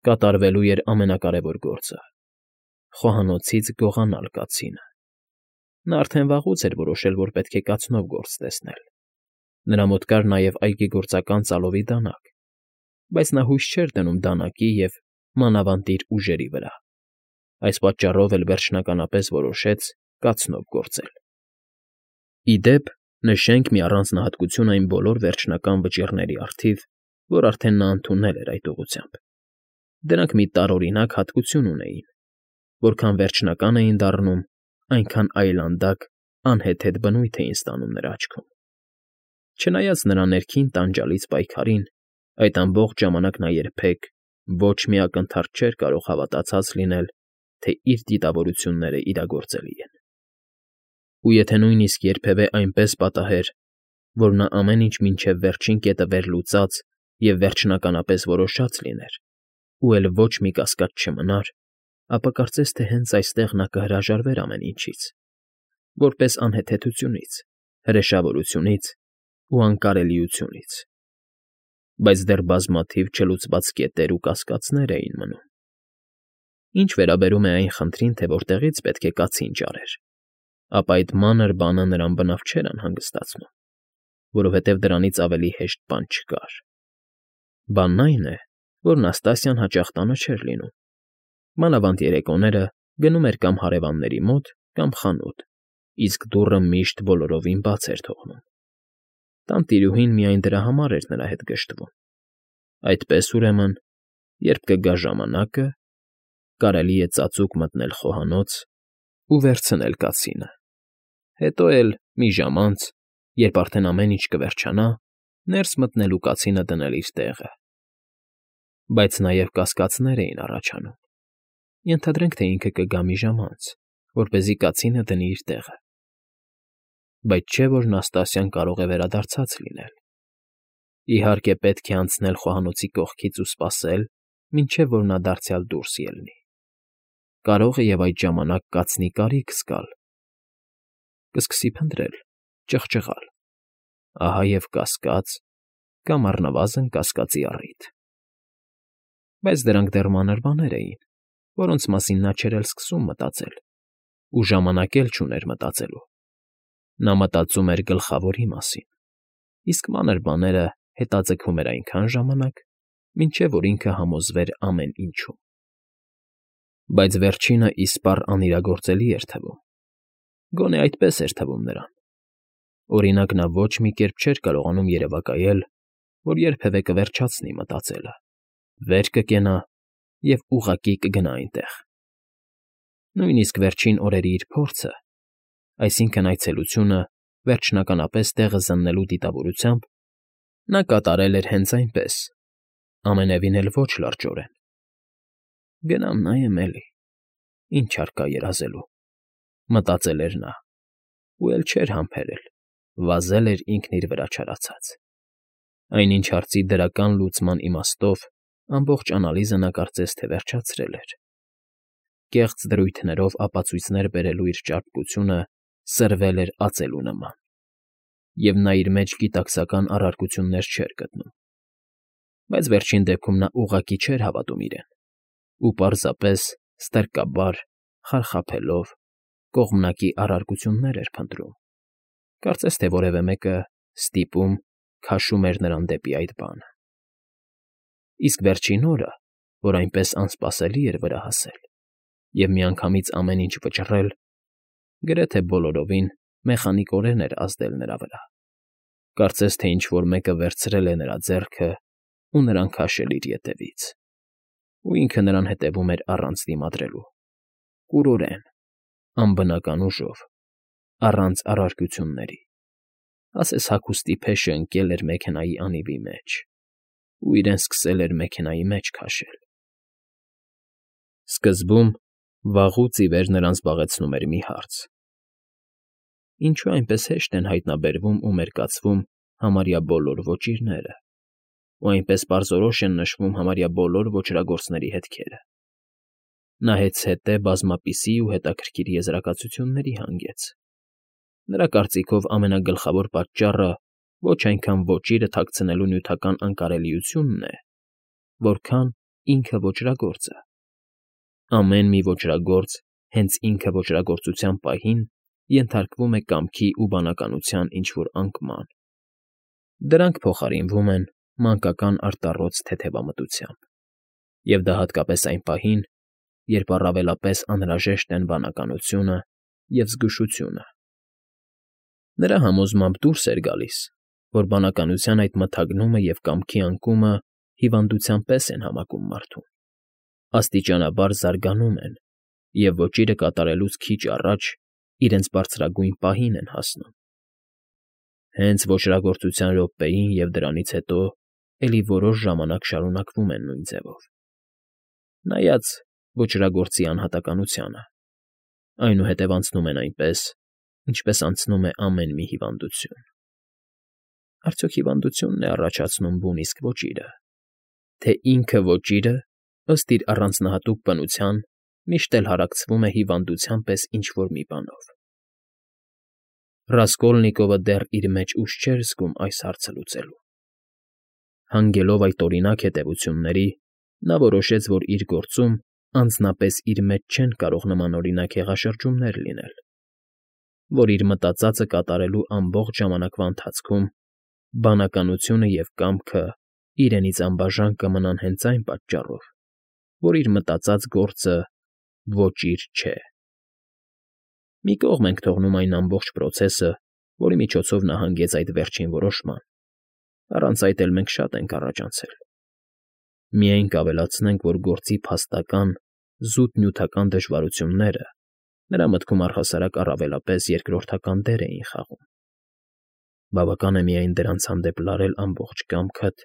Կատարվելու էր ամենակարևոր գործը՝ խոհանոցից գողանալ կացինը։ Նա արդեն վաղուց էր որոշել, որ պետք է կացնով գործ տեսնել։ Նրա մոտ կար նաև այգեգործական ծալովի դանակ, բայց նա հույս չէր դնում դանակի և մանավանդ իր ուժերի վրա։ Այս պատճառով էլ վերջնականապես որոշեց կացնով գործել։ Ի դեպ, նշենք մի առանձնահատկություն այն բոլոր վերջնական վճիռների առթիվ, որ արդեն նա ընդունել էր այդ ուղղությամբ. դրանք մի տարօրինակ հատկություն ունեին. որքան վերջնական էին դառնում, այնքան այլանդակ, անհեթեթ բնույթ էին ստանում նրա աչքում։ Չնայած նրա ներքին տանջալից պայքարին, այդ ամբողջ ժամանակ նա երբեք ոչ մի ակնթարթ չէր կարող հավատացած լինել, թե իր դիտավորությունները իրագործելի են։ Ու եթե նույնիսկ երբևէ այնպես պատահեր, որ նա ամեն ինչ մինչև վերջին կետը վերլուծած և վերջնականապես որոշած լիներ, ու էլ ոչ մի կասկած չմնար, ապա կարծես թե հենց այստեղ նա կհրաժարվեր ամեն ինչից, որպես անհեթեթությունից, հրեշավորությունից ու անկարելիությունից։ Բայց դեռ բազմաթիվ չլուծված կետեր ու կասկածներ էին մնում։ Ինչ վերաբերում է այն խնդրին, թե որտեղից պետք է կացին ճարեր, ապա այդ մանր բանը նրան բնավ չէր անհանգստացնում, որովհետև դրանից ավելի հեշտ բան չկար։ Բանն այն է, որ Նաստասիան հաճախ տանը չէր լինում։ Մանավանդ երեկոները գնում էր կամ հարևանների մոտ, կամ խանութ, իսկ դուռը միշտ բոլորովին բաց էր թողնում։ Տանտիրուհին միայն դրա համար էր նրա հետ գժտվում։ Այդպես, ուրեմն, երբ կգա ժամանակը, կարելի է ծածուկ մտնել խոհանոց ու վերցնել կացինը, հետո էլ մի ժամ անց, երբ արդեն ամեն ինչ կվերջանա, ներս մտնել ու կացինը դնել իր տեղը։ Բայց նաև կասկածներ էին առաջանում։ Ենթադրենք, թե ինքը կգա մի ժամ անց, որպեսզի կացինը դնի իր տեղը։ Բայց չէ՞ որ Նաստասիան կարող է վերադարձած լինել։ Իհարկե, պետք է անցնել խոհանոցի կողքից ու սպասել, մինչև որ նա դարձյալ դուրս ելնի։ Կարող է և այդ ժամանակ կացնի կարիք զգալ։ Կսկսի փնտրել, ճղճղալ, ահա և կասկած, կամ առնվազն կասկածի առիթ։ Բայց դրանք դեռ մանր բաներ էին, որոնց մասին նա չէր էլ սկսում մտածել, ու ժամանակ էլ չուներ մտածելու։ Նա մտածում էր գլխավորի մասին, իսկ մանր բաները հետաձգում էր այնքան ժամանակ, մինչև որ ինքը համոզվեր ամեն ինչում։ Բայց վերջինը իսպառ անիրագործելի էր թվում։ Գոնե այդպես էր թվում նրան։ Օրինակ, նա ոչ մի կերպ չէր կարողանում երևակայել, որ երբևէ կվերջացնի մտածելը, վեր կկենա և ուղղակի կգնա այնտեղ։ Նույնիսկ վերջին օրերի իր փորձը, այսինքն այցելությունը վերջնականապես տեղը զննելու դիտավորությամբ, նա կատարել էր հենց այնպես, ամենևին էլ ոչ լրջորեն։ «Գնամ նայեմ էլի, ինչ առկա երազելու», մտածել էր նա, ու էլ չէր համբերել, վազել էր ինքն իր վրա չարացած։ Այնինչ հարցի դրական լուծման իմաստով ամբողջ անալիզը նա կարծես թե վերջացրել էր։ Կեղծ դրույթներով ապացույցներ բերելու իր ճարպկությունը սրվել էր ածելու նման, և նա իր մեջ գիտակցական առարկություններ չէր գտնում։ Բայց վերջին դեպքում նա ուղղակի չէր հավատում իրեն ու պարզապես ստրկաբար, խարխափելով, կողմնակի առարկություններ էր փնտրում, կարծես թե որևէ մեկը ստիպում, քաշում էր նրան դեպի այդ բանը։ Իսկ վերջին օրը, որ այնպես անսպասելի էր վրա հասել, և միանգամից ամեն ինչ վճռել, գրեթե բոլորովին մեխանիկորեն էր ազդել նրա վրա, կարծես թե ինչ֊որ մեկը վերցրել է նրա ձեռքը ու նրան քաշել իր ետևից, ու ինքը նրան հետևում էր առանց դիմադրելու, կուրորեն, անբնական ուժով, առանց առարկությունների, ասես հագուստի փեշը ընկել էր մեքենայի անիվի մեջ, ու իրեն սկսել էր մեքենայի մեջ քաշել։ Սկզբում վաղուց ի վեր նրան զբաղեցնում էր մի հարց. ինչո՞ւ այնպես հեշտ են հայտնաբերվում ու մերկացվում համարյա բոլոր ոճիրները, ու այնպես պարզորոշ են նշվում համարյա բոլոր ոճրագործների հետքերը։ Նա հեծհետե բազմապիսի ու հետաքրքիր եզրակացությունների հանգեց։ Նրա կարծիքով ամենագլխավոր պատճառը ոչ այնքան ոճիրը թաքցնելու նյութական անկարելիությունն է, որքան ինքը ոճրագործը։ Ամեն մի ոճրագործ հենց ինքը ոճրագործության պահին ենթարկվում է կամքի ու բանականության ինչ֊որ անկման. դրանք փոխարինվում են մանկական արտառոց թեթևամտությամբ, և դա հատկապես այն պահին, երբ առավելապես անհրաժեշտ են բանականությունը և զգուշությունը։ Նրա համոզմամբ դուրս էր գալիս, որ բանականության այդ մթագնումը և կամքի անկումը հիվանդության պես են համակում մարդուն, աստիճանաբար զարգանում են և ոճիրը կատարելուց քիչ առաջ իրենց բարձրագույն պահին են հասնում։ Հենց ոճրագործության րոպեին և դրանից հետո էլի որոշ ժամանակ շարունակվում են նույն ձևով։ Նայած ոճրագործի անհատականությանը, այնուհետև անցնում են այնպես, ինչպես անցնում է ամեն մի հիվանդություն։ Արդյոք հիվանդությունն է առաջացնում բուն իսկ ոճիրը, թե ինքը ոճիրը, ըստ իր առանձնահատուկ բնության, միշտ էլ հարակցվում է հիվանդության պես ինչ֊որ մի բանով։ Ռասկոլնիկովը դեռ իր մեջ ուժ չէր զգում այս հարցը լուծելու։ Հանգելով այդ օրինակ հետևությունների, նա որոշեց, որ իր գործում անձնապես իր մեջ չեն կարող նմանօրինակ հեղաշրջումներ լինել, որ իր մտածածը կատարելու ամբողջ ժամանակվա ընթացքում բանականությունը և կամքը իրենից անբաժան կմնան հենց այն պատճառով, որ իր մտածած գործը ոճիր չէ։ Մի կողմ ենք թողնում այն ամբողջ պրոցեսը, որի միջոցով նա հանգեց այդ վերջին որոշման, առանց այդ էլ մենք շատ ենք առաջ անցել։ Միայն կավելացնենք, որ գործի փաստական, զուտ նյութական դժվարությունները նրա մտքում առհասարակ առավելապես երկրորդական դեր էին խաղում։ Բավական է միայն դրանց հանդեպ լարել ամբողջ կամքդ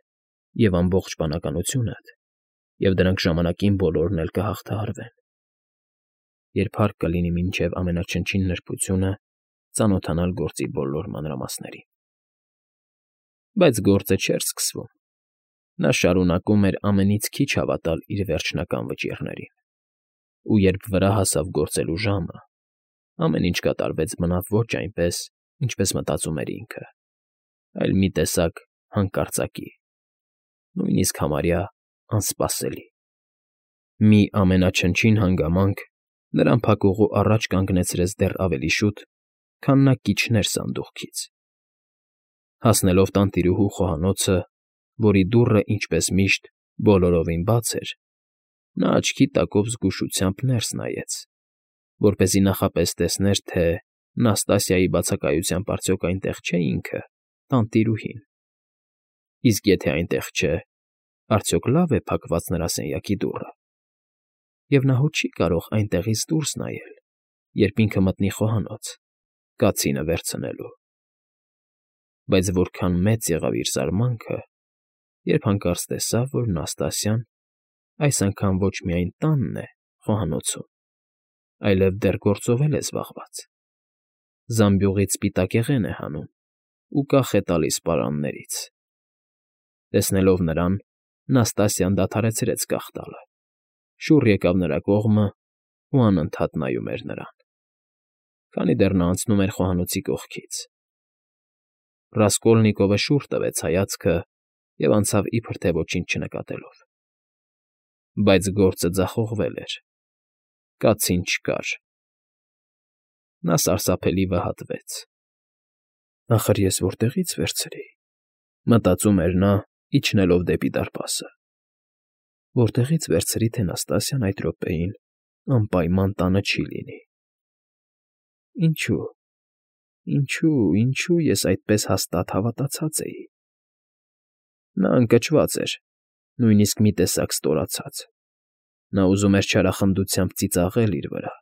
և ամբողջ բանականությունդ, և դրանք ժամանակին բոլորն էլ կհաղթահարվեն։ Երբ հարկ կլինի մինչև ամենաչնչին նրբությունը ծանոթանալ գործի բոլոր մանրամասներին։ Բայց գործը չէր սկսվում։ Նա շարունակում էր ամենից քիչ հավատալ իր վերջնական վճիռներին, ու երբ վրա հասավ գործելու ժամը, ամեն ինչ կատարվեց բնավ ոչ այնպես, ինչպես մտածում էր ինքը, այլ մի տեսակ հանկարծակի, նույնիսկ համարյա անսպասելի։ Մի ամենաչնչին հանգամանք նրան փակուղու առաջ կանգնեցրեց դեռ ավելի շուտ, քան նա կիջներ սանդուղքից։ Հասնելով տանտիրուհու խոհանոցը, որի դուռը, ինչպես միշտ, բոլորովին բաց էր, նա աչքի տակով զգուշությամբ ներս նայեց, որպեսզի նախապես տեսներ, թե Նաստասիայի բացակայությամբ արդյոք այնտեղ չէ ինքը, տանտիրուհին։ Իսկ եթե այնտեղ չէ, արդյոք լավ է փակված նրա սենյակի դուռը, և նա հո չի կարող այնտեղից դուրս նայել, երբ ինքը մտնի խոհանոց, կացինը վերցնելու։ Բայց որքան մեծ եղավ իր զարմանքը, երբ հանկարծ տեսավ, որ Նաստասիան այս անգամ ոչ միայն տանն է խոհանոցում, այլև դեռ գործով էլ է զբաղված։ Զամբյուղից սպիտակեղեն է հանում ու կախ է տալիս պարաններից։ Տեսնելով նրան, Նաստասիան դադարեցրեց կախ տալը, շուռ եկավ նրա կողմն ու անընդհատ նայում էր նրան, քանի դեռ նա անցնում էր խոհանոցի կողքից։ Ռասկոլնիկովը շուռ տվեց հայացքը և անցավ իբր թե ոչինչ չնկատելով։ Բայց գործը ձախողվել էր։ Կացին չկար։ Նա սարսափելի վհատվեց։ «Ախր ես որտեղի՞ց վերցրի,֊ մտածում էր նա, իջնելով դեպի դարպասը,֊ որտեղի՞ց վերցրի, թե Նաստասիան այդ րոպեին անպայման տանը չի լինի։ Ինչո՞ւ ես այդպես հաստատ հավատացած էի»։ Նա ընկճված էր, նույնիսկ մի տեսակ ստորացած։ Նա ուզում էր չարախնդությամբ ծիծաղել իր վրա։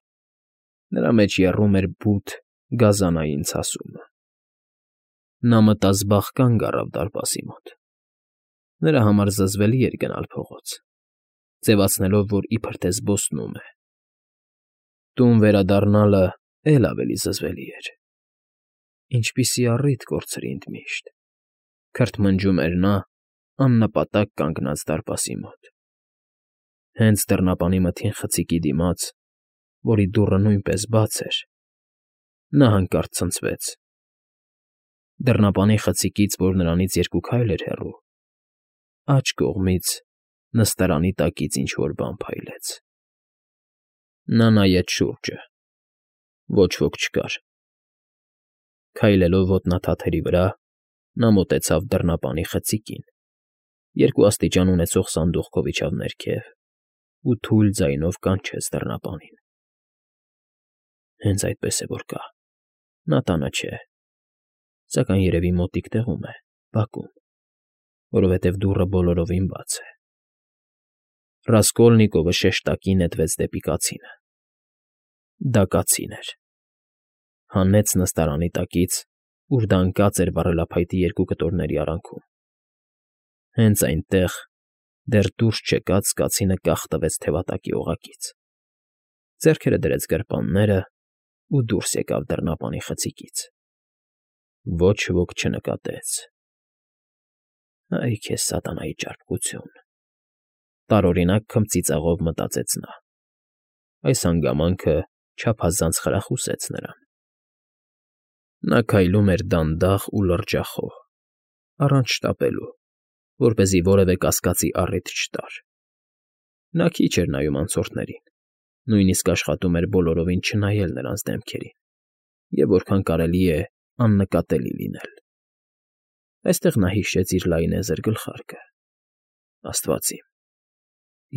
Նրա մեջ եռում էր բութ, գազանային ցասումը։ Նա մտազբաղ կանգ առավ դարպասի մոտ։ Նրա համար զզվելի էր գնալ փողոց, ձևացնելով, որ իբր թե զբոսնում է։ Տուն վերադառնալը էլ ավելի զզվելի էր։ Ինչպիսի առիթ կորցրի ընդմիշտ, քրթմնջում էր նա, աննպատակ կանգնած դարպասի մոտ։ Հենց դռնապանի մթին խցիկի դիմաց, որի դուռը նույնպես բաց էր, նա հանկարծ ցնցվեց։ Դռնապանի խցիկից, որ նրանից երկու քայլ էր հեռու, աջ կողմից նստարանի տակից ինչ֊որ բան փայլեց։ Նա նայեց շուրջը. ոչ ոք չկար։ Քայլելով ոտնաթաթերի վրա՝ նա մոտեցավ դռնապանի խցիկին, 2 աստիճան ունեցող սանդուղքով իջավ ներքև ու թույլ ձայնով կանչեց դռնապանին։ Հենց այդպես է որ կա, նա տանը չէ, սակայն երևի մոտիկ տեղում է, բակում, որովհետև դուռը բոլորովին բաց է։ Ռասկոլնիկովը շեշտակի նետվեց դեպի կացինը։ Դա կացին էր։ Հանեց նստարանի տակից, ուր դա ընկած էր վառելափայտի 2 կտորների արանքում։ Հենց այնտեղ, դեռ դուրս չեկած, կացինը կախ տվեց թևատակի օղակից, ձեռքերը դրեց գրպանները ու դուրս եկավ դռնապանի խցիկից։ Ոչ ոք չնկատեց։ Այ քեզ սատանայի ճարպկություն, տարօրինակ քմծիծաղով մտածեց նա։ Այս հանգամանքը չափազանց խրախուսեց նրան։ Նա քայլում էր դանդաղ ու լրջախոհ, առանց շտապելու, որպեսզի որևէ կասկածի առիթ չտար։ Նա քիչ էր նայում անցորդներին, նույնիսկ աշխատում էր բոլորովին չնայել նրանց դեմքերին և որքան կարելի է աննկատելի լինել։ Այստեղ նա հիշեց իր լայնեզր գլխարկը։ Աստված իմ,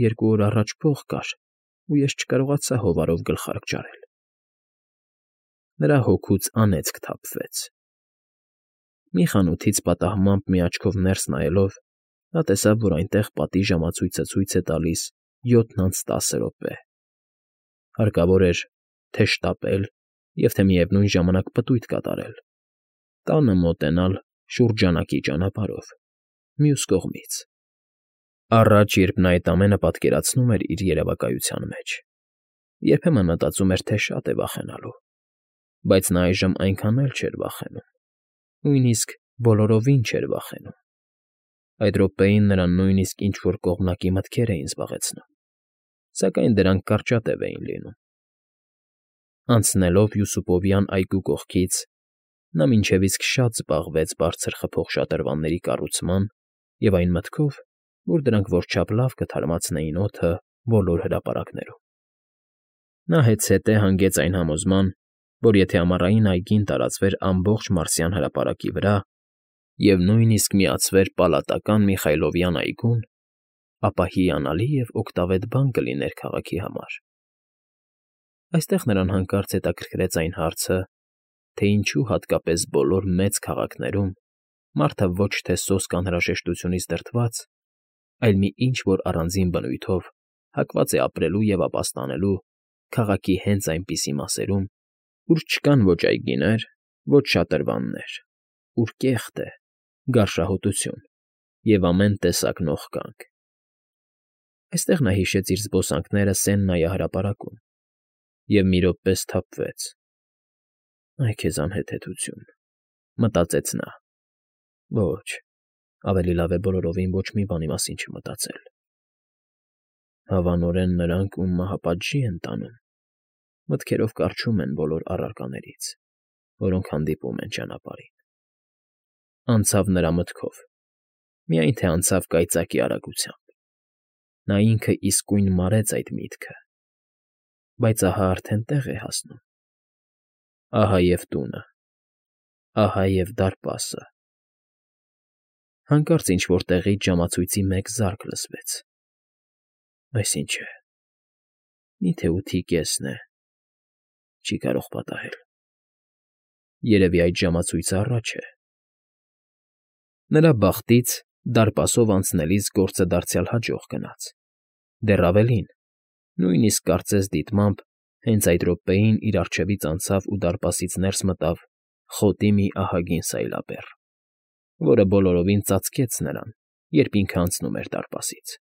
2 օր առաջ փող կար, ու ես չկարողացա հովարով գլխարկ ջարել։ Նրա հոգուց անեծք թափվեց։ Մի խանութից պատահմամբ մի աչքով ներս նայելով՝ նա տեսավ, որ այնտեղ պատի ժամացույցը ցույց է տալիս 7:10 րոպե։ Հարկավոր էր թե՛ շտապել և թե միևնույն ժամանակ պտույտ կատարել, տանը մոտենալ շուրջանակի ճանապարհով, մյուս կողմից։ Առաջ, երբ նա այդ ամենը պատկերացնում էր իր երևակայության մեջ, երբեմն մտածում էր, թե շատ է վախենալու, բայց նա այժմ այնքան էլ չէր վախենում, նույնիսկ բոլորովին չէր վախենում։ Այդ րոպեին նրան նույնիսկ ինչ֊որ կողմնակի մտքեր էին զբաղեցնում, սակայն դրանք կարճատև էին լինում։ Անցնելով Յուսուպովյան այգու կողքից՝ նա մինչև իսկ շատ զբաղվեց բարձր խփող շատրվանների կառուցման և այն մտքով, որ դրանք որչափ լավ կթարմացնեին օդը բոլոր հրապարակներում։ Նա հետզհետե հանգեց այն համոզման, որ եթե ամառային այգին տարածվեր ամբողջ Մարսյան հրապարակի վրա և նույնիսկ միացվեր Պալատական Միխայլովյան այգուն, ապա հիանալի և օգտավետ բան կլիներ քաղաքի համար։ Այստեղ նրան հանկարծ հետաքրքրեց այն հարցը, թե ինչու հատկապես բոլոր մեծ քաղաքներում մարդը ոչ թե սոսկ անհրաժեշտությունից դրդված, այլ մի ինչ֊որ առանձին բնույթով հակված է ապրելու և ապաստանելու քաղաքի հենց այնպիսի մասերում, ուր չկան ոչ այգիներ, ոչ շատրվաններ, ուր կեղտ է, գարշահոտություն և ամեն տեսակ նողկանք։ Այստեղ նա հիշեց իր զբոսանքները Սեն նայահրապարակում և մի րոպե սթափվեց։ «Այ քեզ անհեթեթություն», մտածեց նա։ Ոչ, ավելի լավ է բոլորովին ոչ մի բանի մասին չմտածել։ Հավանորեն նրանք, ում մահապատժի են տանում, մտքերով կառչում են բոլոր առարկաներից, որոնք հանդիպում են ճանապարհին։ Անցավ նրա մտքով, միայն թե անցավ կայծակի արագությամբ։ Նա ինքը իսկույն մարեց այդ միտքը, բայց ահա արդեն տեղ է հասնում։ Ահա և տունը, ահա և դարպասը։ Հանկարծ ինչ֊որ տեղից ժամացույցի մեկ զարկ լսվեց։ Այս ի՞նչ է։ Մի՞թե 8:30 է։ Չի կարող պատահել։ Երևի այդ ժամացույցը առաջ է։ Նրա բախտից դարպասով անցնելիս գործը դարձյալ հաջող գնաց։ Դեռ ավելին, նույնիսկ կարծես դիտմամբ հենց այդ րոպեին իր առջևից անցավ ու դարպասից ներս մտավ խոտի մի ահագին սայլաբեռ, որը բոլորովին ծածկեց նրան, երբ ինքը անցնում էր դարպասից։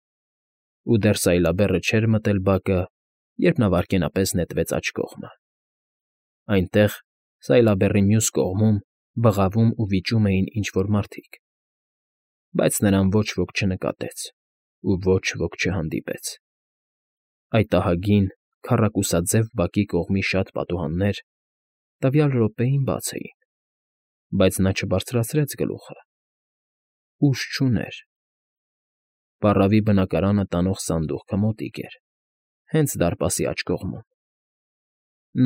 Ու դեռ սայլաբեռը չէր մտել բակը, երբ նա վայրկենապես նետվեց աջ կողմը։ Այնտեղ, սայլաբեռի մյուս կողմում, բղավում ու վիճում էին ինչ֊որ մարդիկ, բայց նրան ոչ ոք չնկատեց ու ոչ ոք չհանդիպեց։ Այդ ահագին, քառակուսաձև բակի կողմի շատ պատուհաններ տվյալ րոպեին բաց էին, բայց նա չբարձրացրեց գլուխը։ Ուժ չուներ։ Պառավի բնակարանը տանող սանդուղքը մոտիկ էր, հենց դարպասի աջ կողմում։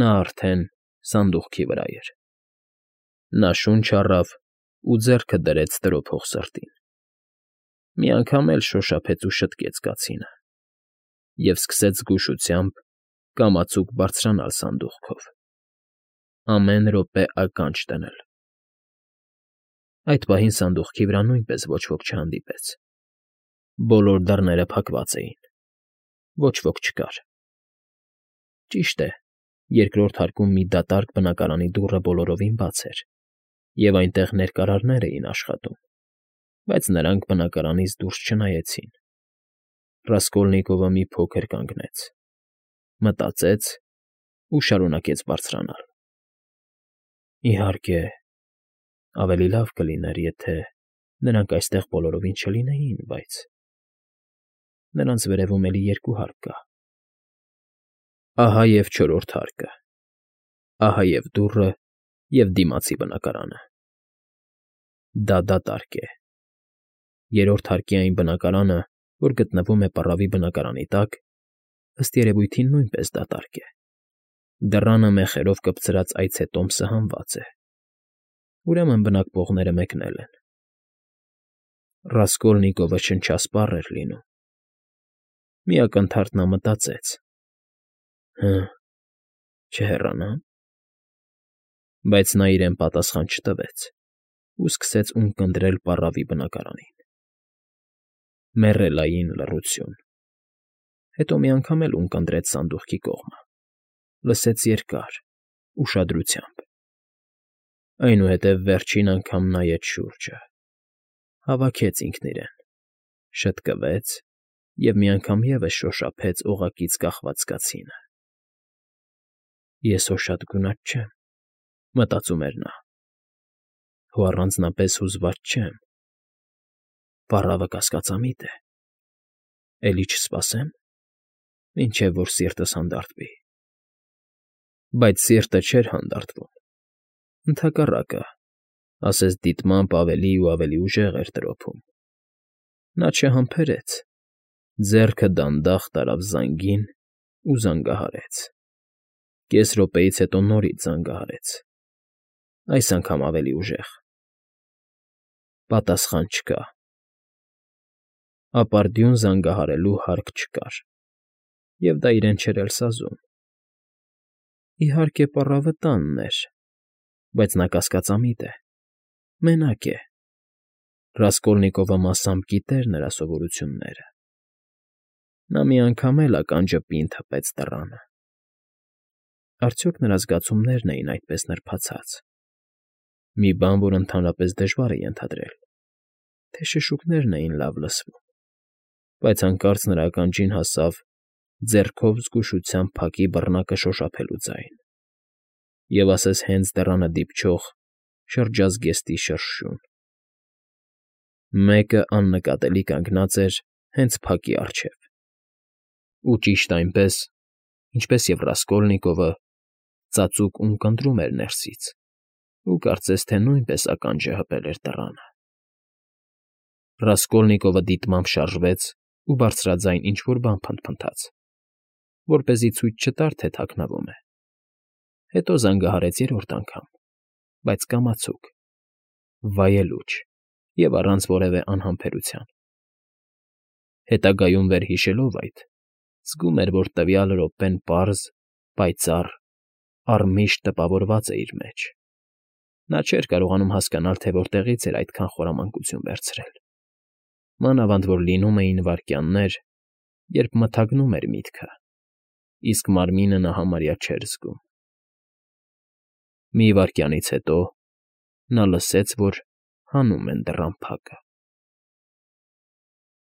Նա արդեն սանդուղքի վրա էր։ Նա շունչ առավ ու ձեռքը դրեց տրոփող սրտին։ Մի անգամ էլ շոշափեց ու շտկեց կացինը և սկսեց զգուշությամբ կամացուկ բարձրանալ սանդուղքով, ամեն րոպե ականջ դնել։ Այդ պահին սանդուղքի վրա նույնպես ոչ ոք չհանդիպեց։ Բոլոր դռները փակված էին, ոչ ոք չկար։ Ճիշտ է, երկրորդ հարկում մի դատարկ բնակարանի դուռը բոլորովին բաց էր, և այնտեղ ներկարարներ էին աշխատում, բայց նրանք բնակարանից դուրս չնայեցին։ Ռասկոլնիկովը մի փոքր կանգնեց, մտածեց ու շարունակեց բարձրանալ։ Իհարկե, ավելի լավ կլիներ, եթե նրանք այստեղ բոլորովին չլինեին, բայց… Նրանց վերևում էլի երկու հարկ կա։ Ահա և չորրորդ հարկը, ահա և դուռը և դիմացի բնակարանը։ Դա դատարկ է։ Երրորդ հարկի այն բնակարանը, որ գտնվում է պառավի բնակարանի տակ, ըստ երևույթին նույնպես դատարկ է։ Դռանը մեխերով կպցրած այցետոմսը հանված է։ Ուրեմն բնակվողները մեկնել են։ Ռասկոլնիկովը շնչասպառ էր լինում։ Մի ակնթարթ նա մտածեց. «Հը, չհեռանա՞մ»։ Բայց նա իրեն պատասխան չտվեց ու սկսեց ունկնդրել պառավի բնակարանին։ Մեռելային լռություն։ Հետո մի անգամ էլ ունկնդրեց սանդուղքի կողմը, լսեց երկար, ուշադրությամբ։ Այնուհետև վերջին անգամ նայեց շուրջը, հավաքեց ինքն իրեն, շտկվեց և մի անգամ ևս շոշափեց օղակից կախված կացինը։ «Ես հո շատ գունատ չեմ», մտածում էր նա, «հո առանձնապես հուզված չեմ։ Պառավը կասկածամիտ է։ Էլի չսպասե՞մ, մինչև որ սիրտս հանդարտվի»։ Բայց սիրտը չէր հանդարտվում։ Ընդհակառակը, ասես դիտմամբ ավելի ու ավելի ուժեղ էր տրոփում։ Նա չհամբերեց, ձեռքը դանդաղ տարավ զանգին ու զանգահարեց։ Կես րոպեից հետո նորից զանգահարեց, այս անգամ ավելի ուժեղ։ Պատասխան չկա։ Ապարդյուն զանգահարելու հարկ չկար, և դա իրեն չէր էլ սազում։ Իհարկե, պառավը տանն էր, բայց նա կասկածամիտ է, մենակ է։ Ռասկոլնիկովը մասամբ գիտեր նրա սովորությունները։ Նա մի անգամ էլ ականջը պինդ հպեց դռանը։ Արդյոք նրա զգացումներն էին այդպես նրբացած։ Մի բան, որ ընդհանրապես դժվար է ենթադրել, թե շշուկներն էին լավ լսվում, բայց հանկարծ նրա ականջին հասավ ձեռքով զգուշությամբ փակի բռնակը շոշափելու ձայն, և ասես հենց դռանը դիպչող շրջազգեստի շրշյուն։ Մեկը աննկատելի կանգնած էր հենց փակի առջև։ Ու ճիշտ այնպես, ինչպես և Ռասկոլնիկովը, ծածուկ ունկնդրում էր ներսից ու կարծես թե նույնպես ականջը հպել էր դռանը։ Ռասկոլնիկովը դիտմամբ շարժվեց ու բարձրաձայն ինչ֊որ բան փնթփնթաց, որպեսզի ցույց չտար, թե թաքնվում է։ Հետո զանգահարեց երրորդ անգամ, բայց կամացուկ, վայելուչ և առանց որևէ անհամբերության։ Հետագայում վերհիշելով այդ, զգում էր, որ տվյալ րոպեն պարզ, պայծառ, առմիշտ տպավորված է իր մեջ։ Նա չէր կարողանում հասկանալ, թե որտեղից էր այդքան խորամանկություն վերցրել։ Մանավանդ որ լինում էին վայրկյաններ, երբ մթագնում էր միտքը, իսկ մարմինը նա համարյա չէր զգում։ Մի վայրկյանից հետո նա լսեց, որ հանում են դռան փակը։